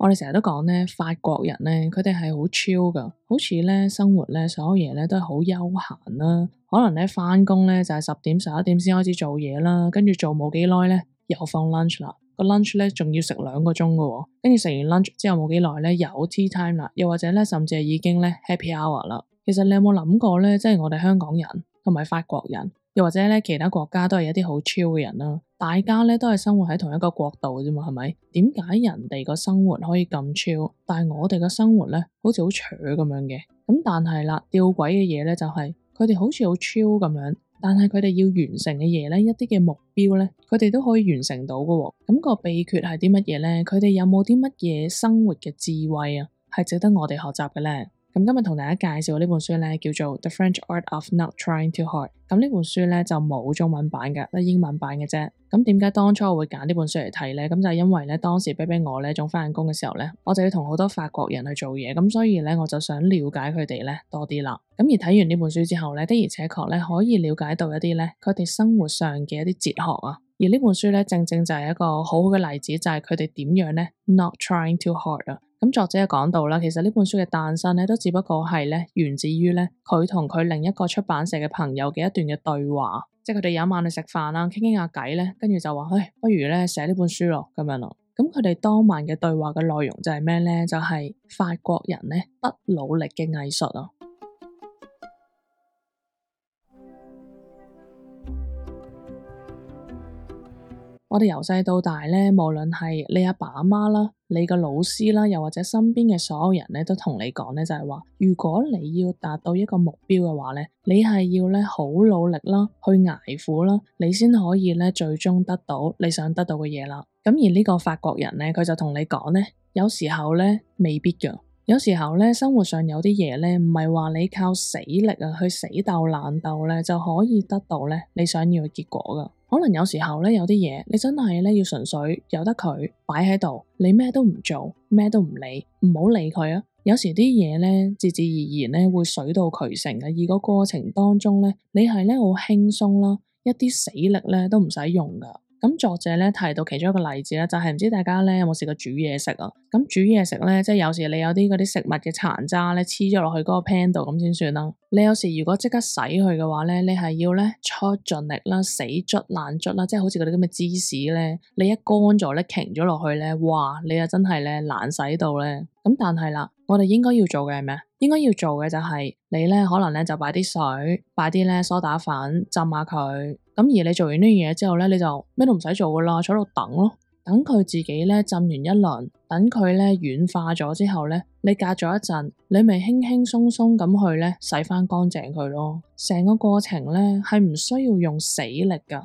我哋成日都講咧，法國人咧，佢哋係好 chill 噶，好似咧生活咧，所有嘢咧都係好休閒啦。可能咧返工咧就係10點11點先開始做嘢啦，跟住做冇幾耐咧又放 lunch 啦。個 lunch 咧仲要食2個鐘噶，跟住食完 lunch 之後冇幾耐咧有 tea time 啦，又或者咧甚至係已經咧 happy hour 啦。其實你有冇諗過咧，即係我哋香港人同埋法國人，又或者咧其他國家都係一啲好 chill 嘅人啦。大家咧都係生活喺同一個國度啫嘛，係咪？點解人哋個生活可以咁 chill，但係我哋個生活咧好似好扯咁樣嘅？咁但係啦，吊詭嘅嘢咧就係佢哋好似好 chill 咁樣，但係佢哋要完成嘅嘢咧，一啲嘅目標咧，佢哋都可以完成到㗎。咁個秘訣係啲乜嘢咧？佢哋有冇啲乜嘢生活嘅智慧啊，係值得我哋學習嘅咧？咁今日同大家介紹呢本書咧，叫做《The French Art of Not Trying Too Hard》。咁呢本書咧就冇中文版嘅，得英文版嘅啫。咁點解當初我會揀呢本書嚟睇咧？咁就係因為咧當時比我咧仲返緊工嘅時候咧，我就要同好多法國人去做嘢，咁所以咧我就想了解佢哋咧多啲啦。咁而睇完呢本書之後咧，的而且確咧可以了解到一啲咧佢哋生活上嘅一啲哲學啊。而呢本書咧正正就係一個好好嘅例子，就係佢哋點樣咧 not trying too hard 啊。咁作者講到啦，其實呢本書嘅誕生咧，都只不過係咧源自於咧佢同佢另一個出版社嘅朋友嘅一段嘅對話，即係佢哋有一晚去食飯啦，傾傾下偈咧，跟住就話，不如咧寫呢本書咯，咁樣咯。咁佢哋當晚嘅對話嘅內容就係咩咧？就係法國人咧不努力嘅藝術啊！我哋由細到大咧，無論係你阿爸阿媽啦，你個老師啦，又或者身邊嘅所有人咧，都同你講咧，就係話，如果你要達到一個目標嘅話咧，你係要咧好努力啦，去捱苦啦，你先可以咧最終得到你想得到嘅嘢啦。咁而呢個法國人咧，佢就同你講咧，有時候咧未必㗎。有時候咧，生活上有啲嘢咧，唔係話你靠死力啊，去死鬥爛鬥咧，就可以得到咧你想要嘅結果噶。可能有時候咧，有啲嘢你真係咧要純粹由得佢擺喺度，你咩都唔做，咩都唔理，唔好理佢啊。有時啲嘢咧，自自然然咧會水到渠成嘅，而個過程當中咧，你係咧好輕鬆啦，一啲死力咧都唔使用噶。咁作者咧提到其中一個例子咧，就係唔知大家咧有冇試過煮嘢食啊？咁煮嘢食咧，即係有時你有啲嗰啲食物嘅殘渣咧黐咗落去嗰個 pan 度咁先算啦。你有時如果即刻洗佢嘅話咧，你係要咧出盡力啦，死捽爛捽啦，即係好似嗰啲咁嘅芝士咧，你一乾咗咧，擎咗落去咧，哇！你又真係咧難洗到咧。咁但係啦，我哋應該要做嘅係咩？應該要做嘅就係你咧，可能咧就擺啲水，擺啲咧梳打粉浸下佢。咁而你做完呢樣嘢之後咧，你就咩都唔使做噶啦，坐喺度等咯，等佢自己咧浸完一輪，等佢咧軟化咗之後咧，你隔咗一陣，你咪輕輕鬆鬆咁去咧洗翻乾淨佢咯。成個過程咧係唔需要用死力噶。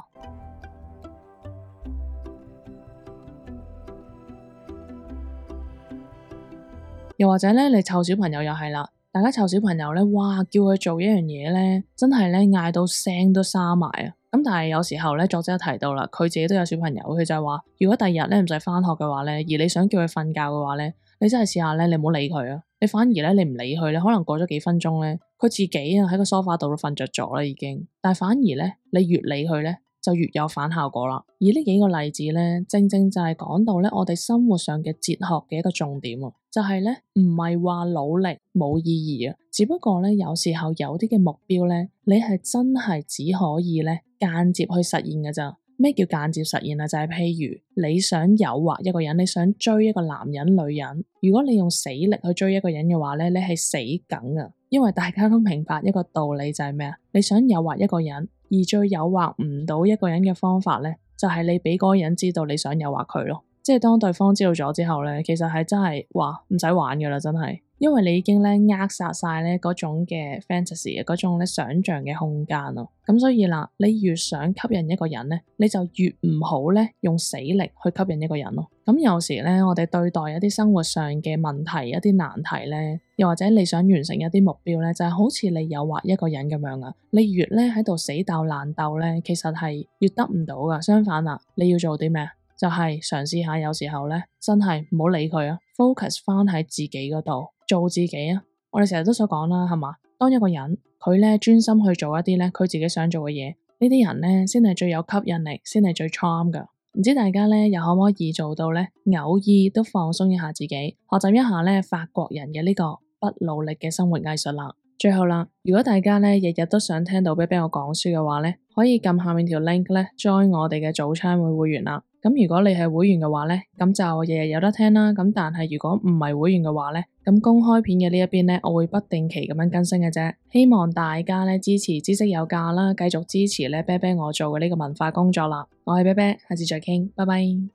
又或者咧，你湊小朋友又係啦，大家湊小朋友咧，哇，叫佢做一樣嘢咧，真係咧嗌到聲都沙埋啊！咁但係有時候咧，作者提到啦，佢自己都有小朋友，佢就係話，如果第二日咧唔使返學嘅話咧，而你想叫佢瞓覺嘅話咧，你真係試下咧，你唔好理佢啊！你反而咧，你唔理佢咧，可能過咗幾分鐘咧，佢自己啊喺個梳化度都瞓着咗啦已經。但係反而咧，你越理佢咧，就越有反效果啦。而呢幾個例子咧，正正就係講到咧，我哋生活上嘅哲學嘅一個重點啊，就係咧唔係話努力冇意義啊，只不過咧有時候有啲嘅目標咧，你係真係只可以咧間接去實現㗎咋。咩叫間接實現啊？就係譬如你想誘惑一個人，你想追一個男人女人，如果你用死力去追一個人嘅話咧，你係死梗啊！因為大家都明白一個道理就係咩啊？你想誘惑一個人，而最誘惑唔到一個人嘅方法咧，就係你俾嗰個人知道你想誘惑佢咯。即係當對方知道咗之後咧，其實係真係話唔使玩噶啦，真係，因為你已經咧扼殺晒咧嗰種嘅 fantasy 嗰種咧想象嘅空間咯。咁所以啦，你越想吸引一個人咧，你就越唔好咧用死力去吸引一個人咯。咁有時咧，我哋對待一啲生活上嘅問題、一啲難題咧，又或者你想完成一啲目標咧，就係好似你誘惑一個人咁樣啊。你越咧喺度死鬥爛鬥咧，其實係越得唔到噶。相反啊，你要做啲咩？就係嘗試下，有時候咧真係唔好理佢啊 ，focus 翻喺自己嗰度，做自己啊。我哋成日都所講啦，係嘛？當一個人佢咧專心去做一啲咧佢自己想做嘅嘢，呢啲人咧先係最有吸引力，先係最 charm 噶。唔知大家咧又可唔可以做到咧，偶爾都放鬆一下自己，學習一下咧法國人嘅呢個不努力嘅生活藝術啦。最後啦，如果大家咧日日都想聽到啤啤我講書嘅話咧，可以撳下面條 link 咧 join 我哋嘅早餐會會員啦。咁如果你係會員嘅話咧，咁就日日有得聽啦。咁但係如果唔係會員嘅話咧，咁公開片嘅呢一邊咧，我會不定期咁樣更新嘅啫。希望大家咧支持知識有價啦，繼續支持咧啤啤我做嘅呢個文化工作啦。我係啤啤，下次再傾，拜拜。